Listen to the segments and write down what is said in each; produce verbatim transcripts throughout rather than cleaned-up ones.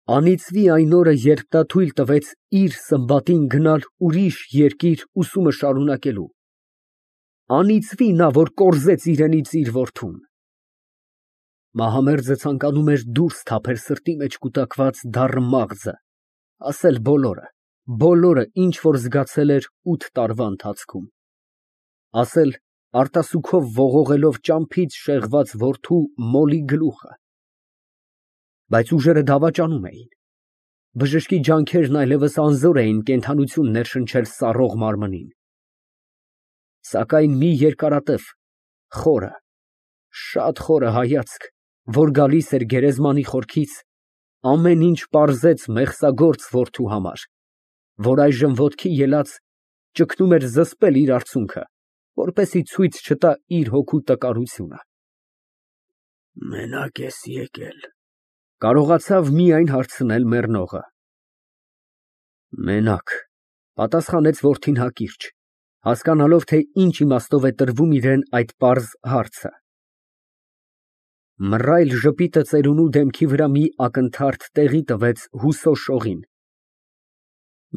Անիծվի այն օրը, երբ նա թույլ տվեց իր սմբատին գնալ ուրիշ երկիր ուսումը շարունակելու, անիծվի նա, որ կորզեց իրենից իր որդուն։ Մահամերձը ցանկանում էր դուրս թափել սրտի մեջ կուտակված դառը մաղձը, ասել բոլորը, բոլորը, ինչ որ զգացել էր ութ տարվա ընթացքում, ասել արտասուքով ողողելով ճամփից շեղված որդու մոլի գլուխը։ Բայց ուժերը դավաճանում էին, բժշկի ջանքերն այլևս անզոր էին կենդանություն ներշնչել սառող մարմնին։ Սակայն մի երկարատև, խորը, շատ խորը հայացք, որ գալիս էր գերեզմանի խորքից, ամեն ինչ պարզեց մեղսագործ որդու համար, որ այժմ ոտքի ելած ճգնում էր զսպել իր արցունքը, որպեսզի ցույց չտա իր հոգու տկարությունը։ Մենակ ես եկել, կարողացավ միայն հարցնել մեռնողը։ Մենակ, պատասխանեց որդին հակիրճ, հասկանալով, թե ինչ իմաստով է տրվում իրան այդ պարզ հարցը։ Մռայլ ժպիտը ծերունու դեմքի վրա մի ակնթարթ տեղի տվեց հուսո շողին։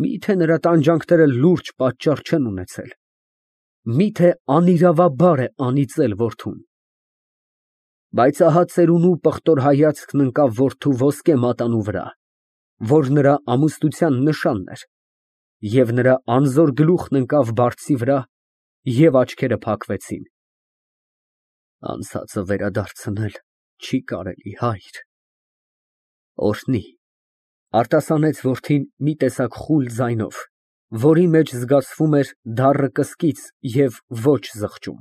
Միթե նրա տանջանքները լուրջ պատճառ չեն ունեցել, միթե անիրավաբար է անիծել որդուն։ Բայց ահա ծերունու պղտոր հայացքն ընկավ որդու ոսկե մատանու վրա, որ նրա ամուսնության նշանն էր, և նրա անզոր գլուխն ընկավ բարձի վրա, և աչքերը փակվեցին։ Անցածը վերադարձնել չի կարելի, հայր։ Օրհնի, արտասանեց որդին մի տեսակ խուլ ձայնով, որի մեջ զգացվում էր դառը կսկիծ և ոչ զղջում։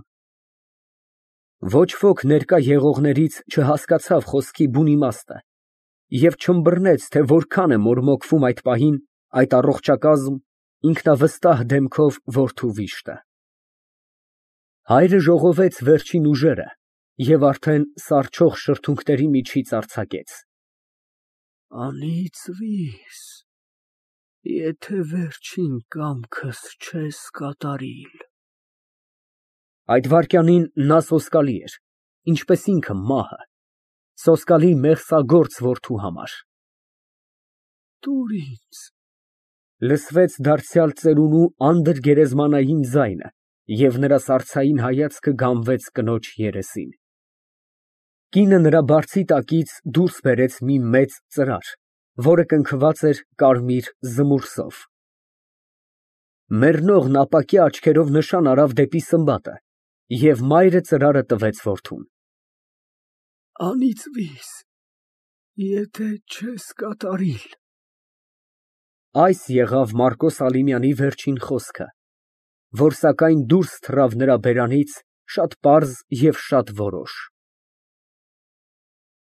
Ոչ ոք ներկա եղողներից չհասկացավ խոսքի բուն իմաստը և չըմբռնեց, թե որքան է մորմոքվում այդ պահին այդ առողջակազմ, ինքնավստահ դեմքով որդու վիշտը։ Հայրը ժողովեց վերջին ուժերը և արդեն սառչող շրթունքների միջից արձակեց. Անիծվի՛ս, եթե վերջին կամքս չես կատարիլ։ Այդ վայրկյանին նա սոսկալի էր, ինչպես ինքը մահը, սոսկալի մեղսագործ որդու համար։ Տուր ինձ, լսվեց դարձյալ ծերունու անդրգերեզմանային ձայնը, և նրա սառցային հայացքը գամվեց կնոջ երեսին։ Կինը նրա բարձի տակից դուրս բերեց մի մեծ ծրար, որը կնքված էր կարմիր զմուրսով։ Մեռնողն ապակյա աչքերով նշան արավ դեպի սմբատը, և մայրը ծրարը տվեց որդուն։ Անիծվի՛ս, եթե չես կատարիլ։ Այս եղավ Մարկոս Ալիմյանի վերջին խոսքը, որ սակայն դուրս թռավ նրա բերանից շատ պարզ և շատ որոշ։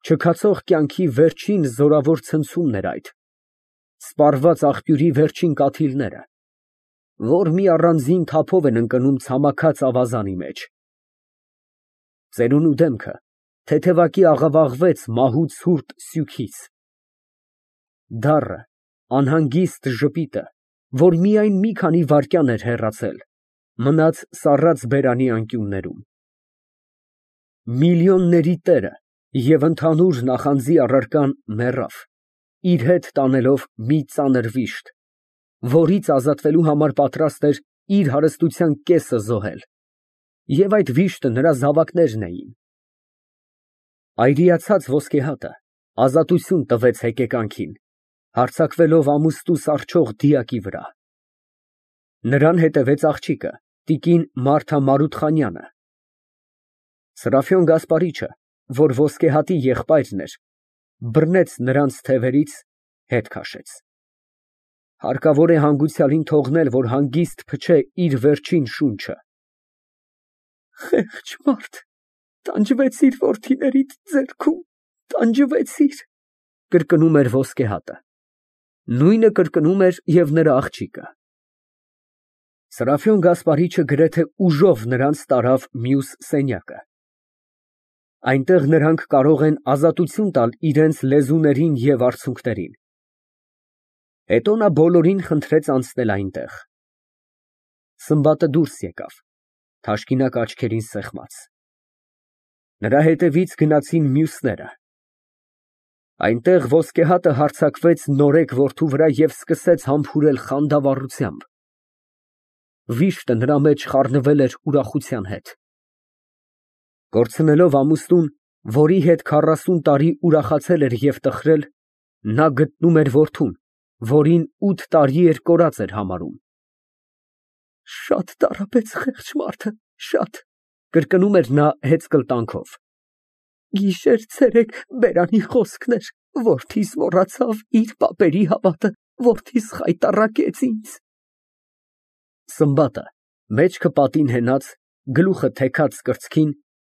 Չքացող կյանքի վերջին զորավոր ցնցումն էր այդ, սպառված աղբյուրի վերջին կաթիլները, որ մի առանձին թափով են ընկնում ցամաքած ավազանի մեջ։ Ծերունու դեմքը թեթևակի աղավաղվեց մահու ցուրտ սյուքից։ Դառը, անհանգիստ ժպիտը, որ միայն մի քանի վայրկյան էր հեռացել, մնաց սառած բերանի անկյուններում։ Միլիոնների տերը և ընդհանուր նախանձի առարկան մեռավ, իր հետ տանելով մի ծանր վիշտ, որից ազատվելու համար պատրաստ էր իր հարստության կեսը զոհել, և այդ վիշտը նրա զավակներն էին։ Այրիացած ոսկե հատը ազատություն տվեց հեկեկանքին, հարձակվելով ամուստու սառչող դիակի վրա։ Նրան հետևեց աղջիկը, տիկին Մարթա Մարութխանյանը։ Սրափիոն Գասպարիչը, որ ոսկե հատի եղբայրն էր, բռնեց նրանց թևերից, հետ քաշեց։ Հարկավոր է հանգուցյալին թողնել, որ հանգիստ փչե իր վերջին շունչը։ Խեղճ մարդ, տանջվեցիր որդիներիդ ձեռքում, տանջվեցիր, կրկնում էր ոսկե հատը։ Նույնը կրկնում էր և նրա աղջիկը։ Սրափիոն Գասպարիչը գրեթե ուժով նրանց տարավ մյուս սենյակը։ Այնտեղ նրանք կարող են ազատություն տալ իրենց լեզուներին և արցունքներին։ Հետո նա բոլորին խնդրեց անցնել այնտեղ։ Սմբատը դուրս եկավ, թաշկինակ աչքերին սեղմած։ Նրա հետևից գնացին մյուսները։ Այնտեղ ոսկեհատը հարձակվեց նորեկ որդու վրա և սկսեց համբուրել խանդավառությամբ։ Վիշտը նրա մեջ խառնվել էր ուրախության հետ։ Կորցնելով ամուսնուն, որի հետ քառասուն տարի ուրախացել էր և տխրել, նա գտնում էր որդուն, որին ութ տարի էր կորած էր համարում։ «Շատ տառապեց խեղճ մարդը, շատ», կրկնում էր նա հեծկլտանքով։ «Գիշեր֊ցերեկ բերանի խոսքն էր, որդիս մոռացավ իր պապերի հավատը, որդիս խայտառակեց ինձ»։ Սմբատը, մեջքը պատին հենած, գլուխը թեքած կրծքին,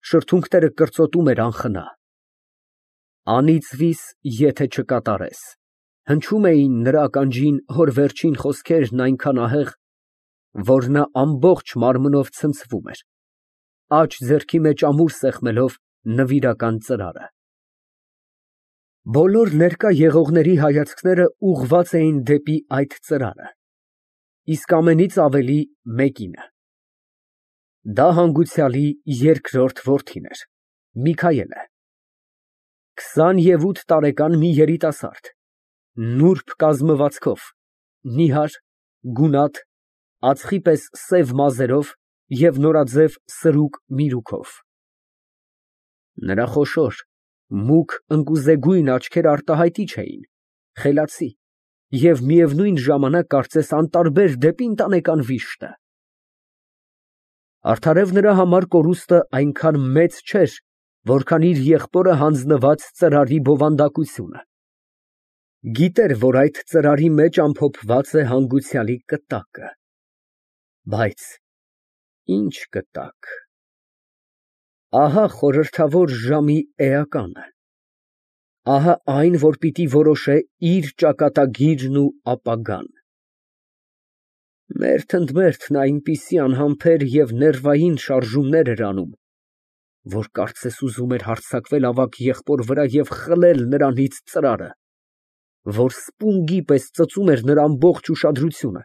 շրթունքները կրծոտում էր անխնա։ «Անիծվիս, եթե չկատարես», հնչում էին նրա ականջին հոր վերջին խոսքերն այնքան ահեղ, որ նա ամբողջ մարմնով ցնցվում էր, աջ ձեռքի մեջ ամուր սեղմելով նվիրական ծրարը։ Բոլոր ներկա եղողների հայացքները ուղղված էին դեպի այդ ծրարը, իսկ ամենից ավելի մեկինը։ Դա հանգուցյալի երկրորդ որդին էր, Միքայելը, քսանութ տարեկան մի երիտասարդ, նուրբ կազմվածքով, նիհար, գունատ, ածխի պես սև մազերով և նորաձև սրուկ միրուքով։ Նրա խոշոր, մուգ ընկուզեգույն աչքերը արտահայտիչ էին, խելացի և միևնույն ժամանակ կարծես անտարբեր դեպի ընտանեկան վիշտը։ Արդարև նրա համար կորուստը այնքան մեծ չէր, որքան իր եղբորը հանձնված ծրարի բովանդակությունը։ Գիտեր, որ այդ ծրարի մեջ ամփոփված է հանգուցյալի կտակը։ Բայց ի՞նչ կտակ։ Ահա խորհրդավոր ժամի էականը, ահա այն, որ պիտի որոշե իր ճակատագիրն ու ապագան։ Մերթ ընդ մերթ նա այնպիսի անհամբեր և ներվային շարժումներ էր անում, որ կարծես ուզում էր հարձակվել ավագ եղբոր վրա և խլել նրանից ծրարը, որ սպունգի պես ծծում էր նրա ամբողջ ուշադրությունը,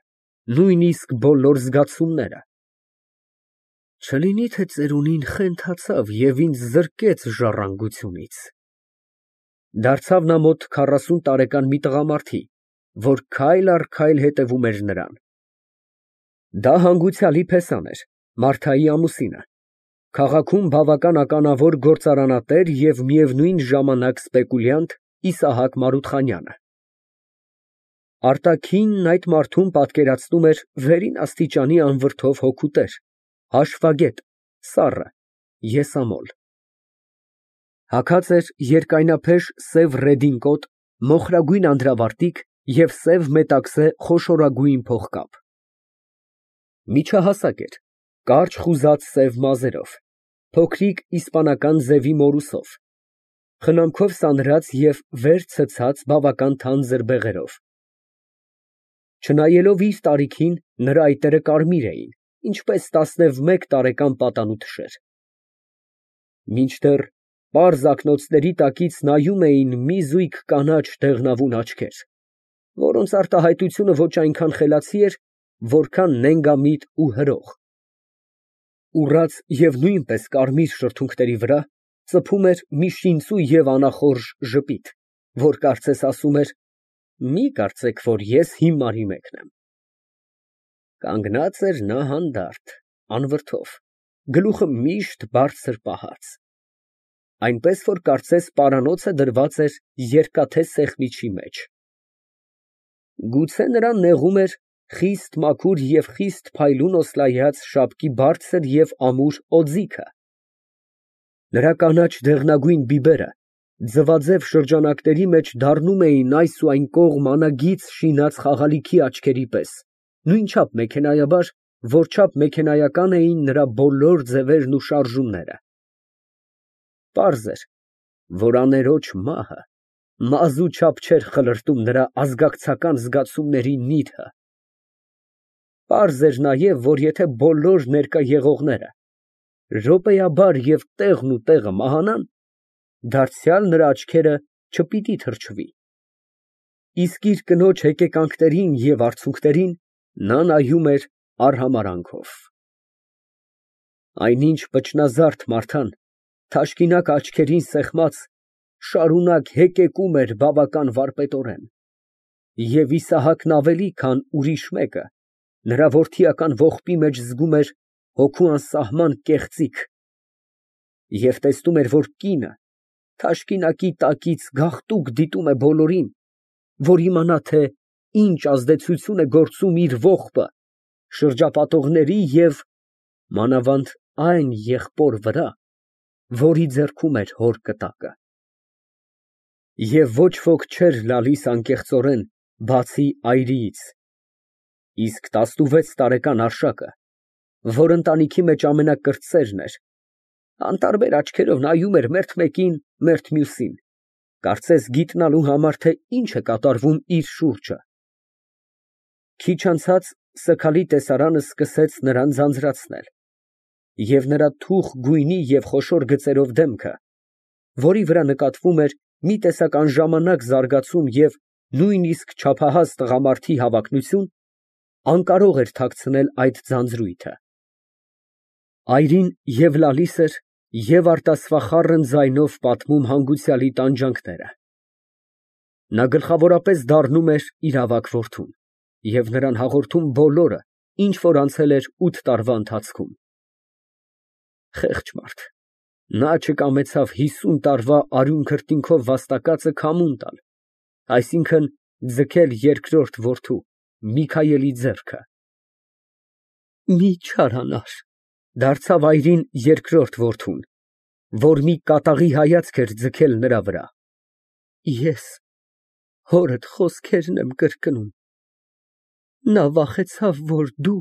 նույնիսկ բոլոր զգացումները։ Չլինի՞ թե ծերունին խենթացավ և ինձ զրկեց ժառանգությունից։ Դարձավ նա մոտ քառասուն տարեկան մի տղամարդի, որ քայլ առ քայլ հետևում էր նրան։ Դա հանգուցյալի փեսան էր, Մարթայի ամուսինը, քաղաքում բավական ականավոր գործարանատեր և միևնույն ժամանակ սպեկուլյանտ Իսահակ Մարութխանյանը։ Արտաքինն այդ մարդում պատկերացնում էր վերին աստիճանի անվրդով հոգու տեր, հաշվագետ, սառը, եսամոլ։ Հագած էր երկայնափեշ սև ռեդինկոտ, մոխրագույն անդրավարտիք և սև մետաքսե խոշորագույն փողկապ։ Միջահասակ էր, կարճ խուզած սև մազերով, փոքրիկ իսպանական ձևի մորուսով, խնամքով սանրած և վեր ցցած բավական թանձր բեղերով։ Չնայելով իր տարիքին, նրա այտերը կարմիր էին, ինչպես տասնմեկ տարեկան պատանու թշեր։ Մինչդեռ պարզ ակնոցների տակից նայում էին մի զույգ կանաչ դեղնավուն աչքեր, որոնց արտահայտությունը ոչ այնքան խելացի էր, որքան նենգամիտ ու հրող։ Ուռած և նույնպես կարմիր շրթունքների վրա ծփում էր մի շինծու և անախորժ ժպիտ, որ կարծես ասում էր. «Մի կարծեք, որ ես հիմարի մեկն եմ»։ Կանգնած էր նա հանդարտ, անվրդով, գլուխը միշտ բարձր պահած, այնպես որ կարծես պարանոցը դրված էր երկաթե սեղմիչի մեջ։ Գուցե նրան նեղում էր խիստ մաքուր և խիստ փայլուն օսլայած շապկի բարձր և ամուր օձիքը։ Նրա կանաչ դեղնագույն բիբերը ձվաձև շրջանակների մեջ դառնում էին այս ու այն կողմ անագիծ շինած խաղալիքի աչքերի պես, նույնչափ մեքենայաբար, որչափ մեքենայական էին նրա բոլոր ձևերն ու շարժումները։ Պարզ էր, որ աներոջ մահը մազու չափ չէր խլրտում նրա ազգակցական զգացումների նիրհը։ Պարզ էր նաև, որ եթե բոլոր ներկա եղողները րոպեաբար և տեղն ու տեղը մահանան, դարձյալ նրա աչքերը չպիտի թրջվի, իսկ իր կնոջ հեկեկանքներին և արցունքներին նա նայում էր արհամարհանքով։ Այնինչ պճնազարդ Մարթան, թաշկինակ աչքերին սեղմած, շարունակ հեկեկում էր բավական վարպետորեն, և Իսահակն ավելի, քան ուրիշ մեկը, նրա որդիական ողբի մեջ զգում էր հոգու անսահման կեղծիք և տեսնում էր, որ կինը թաշկինակի տակից գաղտուկ դիտում է բոլորին, որ իմանա, թե ինչ ազդեցություն է գործում իր ողբը շրջապատողների և մանավանդ այն եղբոր վրա, որի ձեռքում էր հոր կտակը։ Եվ ոչ ոք չէր լալիս անկեղծորեն, բացի այրիից, իսկ տասնվեց տարեկան Արշակը, որ ընտանիքի մեջ ամենակրտսերն էր, անտարբեր աչքերով նայում էր մերթ մեկին, մերթ մյուսին, կարծես գիտնալու համար, թե ինչ է կատարվում իր շուրջը։ Քիչ անցած սգալի տեսարանը սկսեց նրան ձանձրացնել, և նրա թուխ գույնի և խոշոր գծերով դեմքը, որի վրա նկատվում էր մի տեսակ անժամանակ զարգացում և նույնիսկ չափահաս տղամարդի հավակնություն, անկարող էր թաքցնել այդ ձանձրույթը։ Այրին և լալիս էր և արտասվախառն ձայնով պատմում հանգուցյալի տանջանքները։ Նա գլխավորապես դառնում էր իր ավագ որդուն և նրան հաղորդում բոլորը, ինչ որ անցել էր ութ տարվա ընթացքում։ Խեղճ մարդ, նա չկամեցավ հիսուն տարվա արյուն քրտինքով վաստակածը քամուն տալ, այսինքն՝ ձգել երկրորդ որդու՝ Միքայելի ձեռքը։ Մի չարանար, դարձավ այրին երկրորդ որդուն, որ մի կատաղի հայացք էր ձգել նրա վրա, ես հորդ խոսքերն եմ կրկնում, նա վախեցավ, որ դու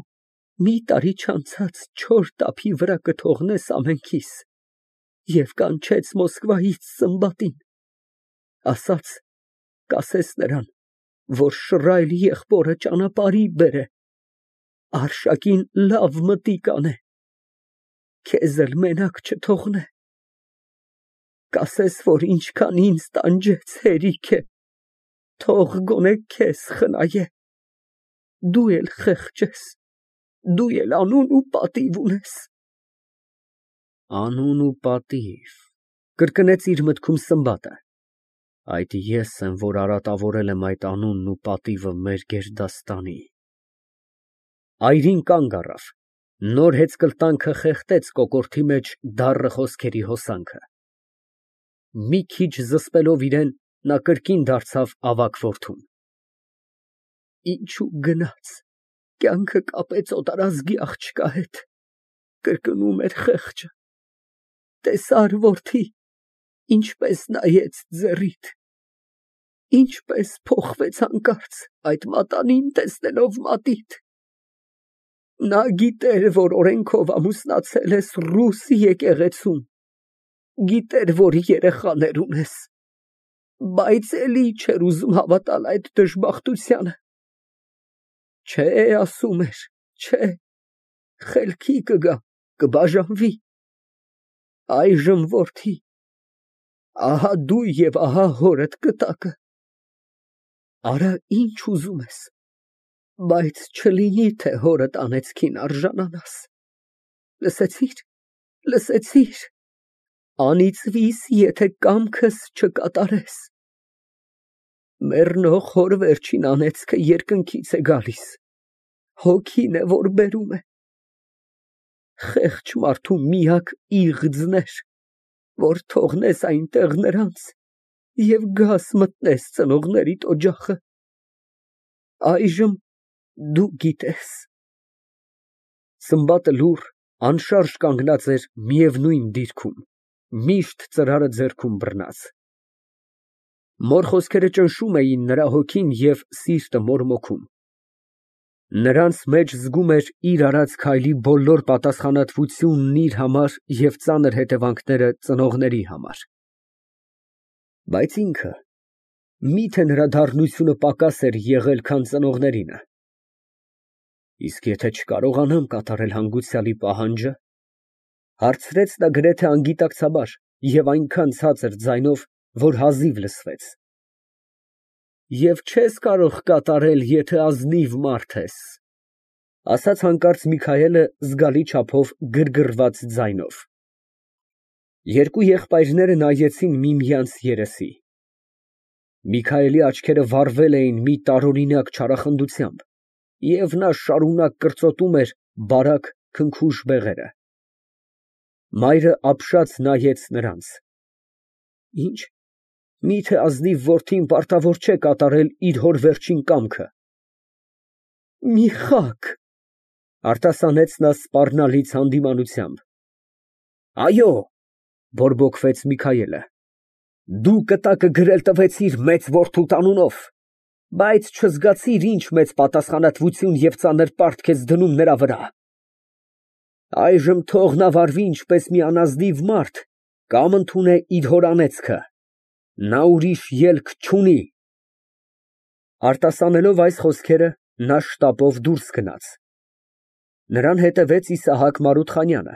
մի տարի չանցած չոր տափի վրա կթողնես ամենքիս և կանչեց Մոսկվայից Սմբատին, ասաց, կասես նրան, որ շռայլ եղբորը ճանապարհի բերե, Արշակին լավ մտիկ անե, քեզ էլ մենակ չթողնե, կասես, որ ինչքան ինձ տանջեց, հերիք է, թող գոնե քեզ խնայե, դու էլ խեղճ ես, դու էլ անուն ու պատիվ ունես։ Անուն ու պատիվ, կրկնեց իր մտքում Սմբատը, այդ ես եմ, որ արատավորել եմ այդ անունն ու պատիվը մեր գերդաստանի։ Այրին կանգ առավ, նոր հեծկլտանքը խեղդեց կոկորդի մեջ դառը խոսքերի հոսանքը։ Մի քիչ զսպելով իրեն, նա կրկին դարձավ ավագ որդուն. Ինչու գնաց, կյանքը կապեց օտարազգի աղջկա հետ, կրկնում էր խեղճը, տեսա՞ր, որդի, ինչպես նայեց ձեռիդ, ինչպես փոխվեց հանկարծ այդ մատանին տեսնելով մատիդ, նա գիտեր, որ օրենքով ամուսնացել ես ռուս եկեղեցում, գիտեր, որ երեխաներ ունես, բայց էլի չէր ուզում հավատալ այդ դժբախտությանը, չէ, ասում էր, չէ, խելքի կգա, կբաժանվի, այժմ, որդի, ահա դու և ահա հորդ կտակը, արա ինչ ուզում ես, բայց չլինի, թե հորդ անեծքին արժանանաս, լսեցի՞ր, լսեցի՞ր, անիծվիս, եթե կամքս չկատարես, մեռնող հոր վերջին անեծքը երկնքից է գալիս, հոգին է, որ բերում է, խեղճ մարդու միակ իղձն էր, որ թողնես այնտեղ նրանց և գաս մտնես ծնողներիդ օջախը, այժմ դու գիտես։ Սմբատը լուռ, անշարժ կանգնած էր միևնույն դիրքում, միշտ ծրարը ձեռքում բռնած։ Մոր խոսքերը ճնշում էին նրա հոգին և սիրտը մորմոքում։ Նրանց մեջ զգում էր իր արած քայլի բոլոր պատասխանատվությունն իր համար և ծանր հետևանքները ծնողների համար։ Բայց ինքը, մի՞թե նրա դառնությունը պակաս էր եղել, քան ծնողներինը։ Իսկ եթե չկարողանամ կատարել հանգուցյալի պահանջը, հարցրեց նա գրեթե անգիտակցաբար և այնքան ցածր ձայնով, որ հազիվ լսվեց։ Եվ չես կարող կատարել, եթե ազնիվ մարդ ես, ասաց հանկարծ Միքայելը զգալի չափով գրգռված ձայնով։ Երկու եղբայրները նայեցին միմյանց երեսի։ Միքայելի աչքերը վառվել էին մի տարօրինակ չարախնդությամբ, և նա շարունակ կրծոտում էր բարակ, քնքուշ բեղերը։ Մայրը ապշած նայեց նրանց։ Ի՞նչ, մի՞թե ազնիվ որդին պարտավոր չէ կատարել իր հոր վերջին կամքը։ Միխայ… ֊ արտասանեց նա սպառնալից հանդիմանությամբ։ Այո… ֊ բորբոքվեց Միքայելը։ Դու կտակը գրել տվեցիր մեծ որդուդ անունով, բայց չզգացիր ինչ մեծ պատասխանատվություն և ծանր պարտ քեզ դնում նրա վրա… Այժմ թող նա վարվի ինչպես մի անազնիվ մարդ կամ ընդունե իր հոր անեծքը… նա ուրիշ ելք չունի… Արտասանելով այս խոսքերը, նա շտապով դուրս գնաց։ Նրան հետևեց Իսահակ Մարութխանյանը,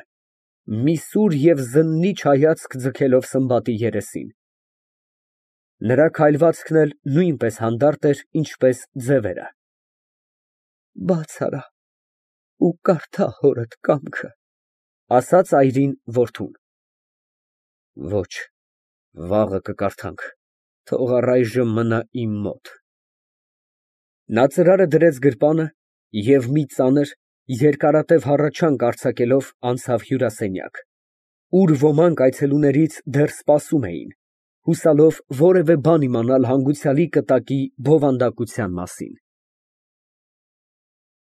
մի սուր և զննիչ հայացք ձգելով Սմբատի երեսին։ Նրա քայլվածքն էլ նույնպես հանդարտ էր, ինչպես ձևերը։ Բաց արա ու կարդա հորդ կամքը, ֊ ասաց այրին որդուն։ Ոչ, վաղը կկարդանք, թող առայժմ մնա իմ մոտ։ Նա ծրարը դրեց գրպանը և մի ծանր, երկարատև հառաչանք արձակելով անցավ հյուրասենյակ, ուր ոմանք այցելուներից դեռ սպասում էին, հուսալով որևէ բան իմանալ հանգուցյալի կտակի բովանդակության մասին։